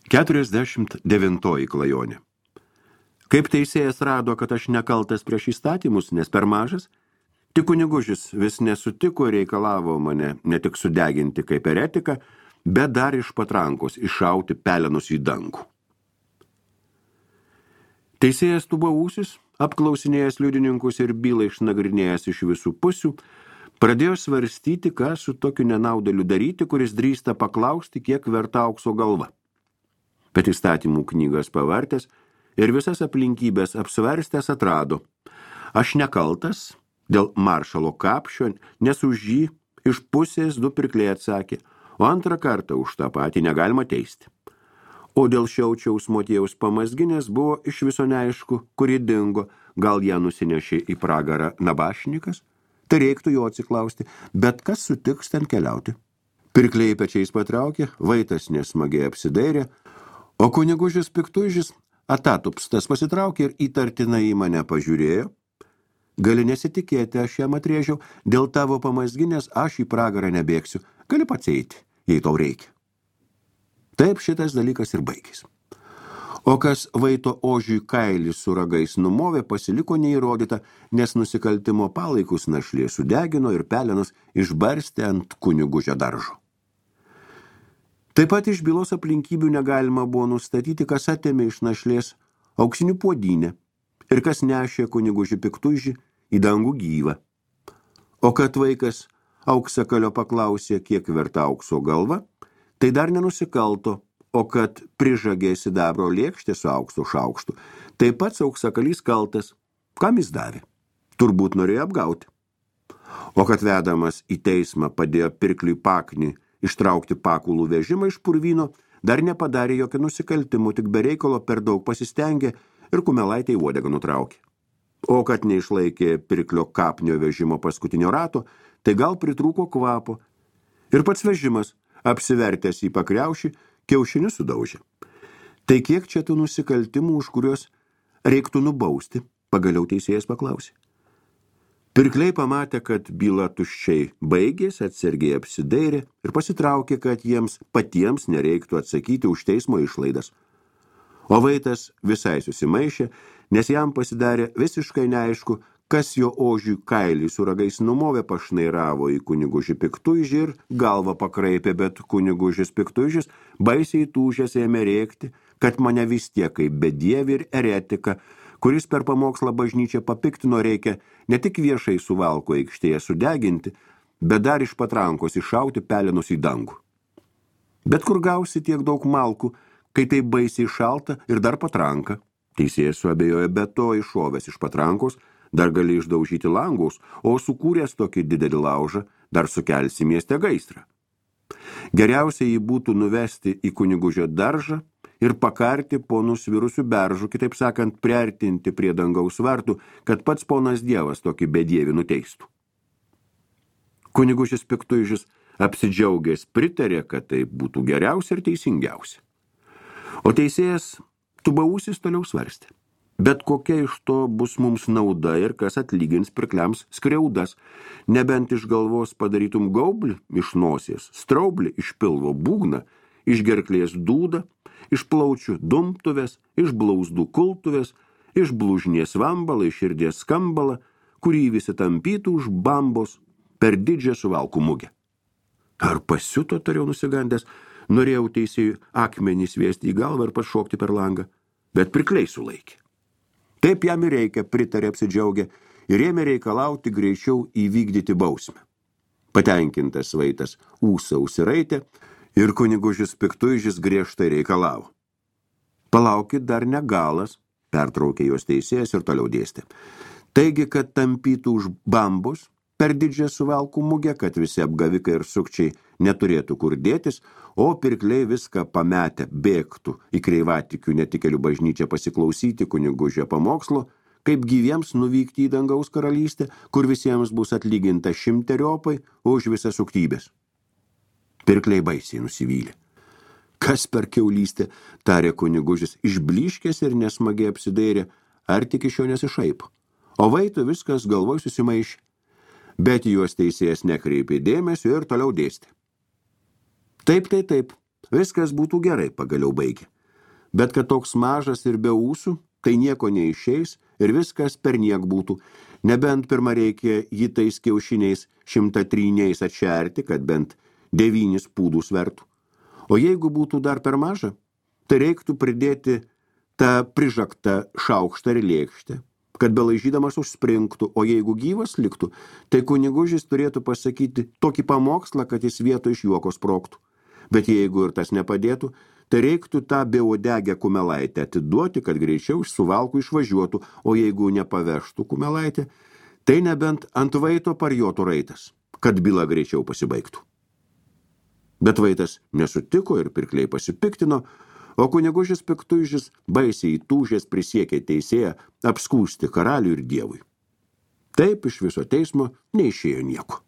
49 klajonė. Kaip teisėjas rado, kad aš nekaltas prieš įstatymus, nes per mažas, tik kunigužis vis nesutiko ir reikalavo mane ne tik sudeginti kaip eretiką, bet dar iš patrankos iššauti pelenus į dangų. Teisėjas Tubausis, apklausinėjęs liudininkus ir bylą išnagrinėjęs iš visų pusių, pradėjo svarstyti, ką su tokiu nenaudėliu daryti, kuris drįsta paklausti, kiek verta aukso galva. Bet įstatymų knygas pavartęs ir visas aplinkybės apsvarstęs atrado. Aš nekaltas dėl maršalo kapšio, nes už jį iš pusės 2 pirkliai atsakė, o antrą kartą už tą patį negalima teisti. O dėl Šiaučiaus Motiejaus Pamazginės buvo iš viso neaišku, kuri dingo, gal ją nusinešė į pragarą nabašnikas, tai reiktų jo atsiklausti, bet kas sutiks ten keliauti. Pirkliai pečiais patraukė, vaitas nesmagiai apsidairė, o kunigužis Piktužis atatupstas pasitraukė ir įtartinai į mane pažiūrėjo. Gali nesitikėti, aš jam atrėžiau, dėl tavo Pamazginės aš į pragarą nebėgsiu, gali pats eiti, jei tau reikia. Taip šitas dalykas ir baigės. O kas vaito ožiui kailį su ragais numovė, pasiliko neįrodyta, nes nusikaltimo palaikus našlė sudegino ir pelenus išbarstė ant kunigužio daržo. Taip pat iš bylos aplinkybių negalima buvo nustatyti, kas atėmė iš našlės auksinių puodynę ir kas nešė kunigužį Piktužį į dangų gyvą. O kad vaikas auksakalio paklausė, kiek verta aukso galva, tai dar nenusikalto, o kad prižagė sidabro lėkštę su aukso šaukštu, tai pats auksakalys kaltas, kam jis davė. Turbūt norėjo apgauti. O kad vedamas į teismą padėjo pirkliui paknį ištraukti pakulų vežimą iš purvyno, dar nepadarė jokio nusikaltimų, tik be reikalo per daug pasistengė ir kumelaitę į uodegą nutraukė. O kad neišlaikė pirklio kapnio vežimo paskutinio rato, tai gal pritrūko kvapo ir pats vežimas, apsivertęs į pakriaušį, kiaušinius sudaužė. Tai kiek čia tų nusikaltimų, už kuriuos reiktų nubausti, pagaliau teisėjas paklausė. Pirkliai pamatė, kad byla tuščiai baigėsi, atsargiai apsidairė ir pasitraukė, kad jiems patiems nereiktų atsakyti už teismo išlaidas. O vaitas visai susimaišė, nes jam pasidarė visiškai neaišku, kas jo ožiui kailį su ragais numovė, pašnairavo į kunigužį Piktužį ir galvą pakraipė, bet kunigužis Piktužis baisiai tūžęs ėmė rėkti, kad mane vis tiek kaip bedievį ir eretiką, kuris per pamokslą bažnyčią papiktino, reikia ne tik viešai Suvalkų aikštėje sudeginti, bet dar iš patrankos iššauti pelenus į dangų. Bet kur gausi tiek daug malkų, kai tai baisiai šalta ir dar patranka? Teisėjas suabejojo, be to iššovęs iš patrankos, dar gali išdaužyti langus, o sukūręs tokį didelį laužą, dar sukelsi mieste gaisrą. Geriausia jį būtų nuvesti į kunigužio daržą ir pakarti po nusvirusių beržų, kitaip sakant, priartinti prie dangaus vartų, kad pats ponas Dievas tokį bedievį nuteistų. Kunigužis Piktužis apsidžiaugęs pritarė, kad tai būtų geriausia ir teisingiausia. O teisėjas Tubausis toliau svarstė. Bet kokia iš to bus mums nauda ir kas atlygins pirkliams skriaudas, nebent iš galvos padarytum gaublį iš nosies, straublį iš pilvo būgną, iš gerklės dūdą, iš plaučių dumptuvės, iš blauzdų kultuvės, iš blužnies vambalą, iš širdies skambalą, kurį visi tampytų už bambos per didžią Suvalkų mugę. Ar pasiuto, tariau nusigandęs, norėjau teisėjui akmenį sviesti į galvą ir pašokti per langą, bet pirkliai sulaikė. Taip jam ir reikia, pritarė apsidžiaugę ir ėmė reikalauti greičiau įvykdyti bausmę. Patenkintas vaitas ūsą užsiraitė ir kunigužis Piktužis griežtai reikalavo. Palaukit, dar ne galas, pertraukė jos teisėjas ir toliau dėstė. Taigi, kad tampytų už bambus per didžią Suvalkų mugę, kad visi apgavikai ir sukčiai neturėtų kur dėtis, o pirkliai viską pametę bėgtų į kreivatikių netikėlių bažnyčią pasiklausyti kunigužio pamokslo, kaip gyviems nuvykti į dangaus karalystę, kur visiems bus atlyginta 100-eriopai už visas suktybės. Pirkliai baisiai nusivylė. Kas per kiaulystę, tarė kunigužis, išblyškęs ir nesmagiai apsidairė, ar tik iš jo nesišaipo. O vaito viskas galvoj susimaišė. Bet juos teisėjas nekreipė dėmesio ir toliau dėstė. Taip, viskas būtų gerai, pagaliau baigė. bet kad toks mažas ir be ūsų, tai nieko neišeis ir viskas perniek būtų, nebent pirma reikia jį tais kiaušiniais 103 atšerti, kad bent 9 pūdų svertų. O jeigu būtų dar per maža, tai reiktų pridėti tą prižaktą šaukštą ir lėkštę, kad belaižydamas užspringtų, o jeigu gyvas liktų, tai kunigužis turėtų pasakyti tokį pamokslą, kad jis vietoj iš juoko sprogtų. Bet jeigu ir tas nepadėtų, tai reiktų tą beuodegę kumelaitę atiduoti, kad greičiau iš suvalkų išvažiuotų, o jeigu nepavežtų kumelaitę, tai nebent ant vaito parjotų raitas, kad byla greičiau pasibaigtų. Bet vaitas nesutiko ir pirkliai pasipiktino, o kunigužis piktuižis baisiai įtūžęs prisiekė teisėją apskųsti karaliui ir dievui. Taip iš viso teismo neišėjo nieko.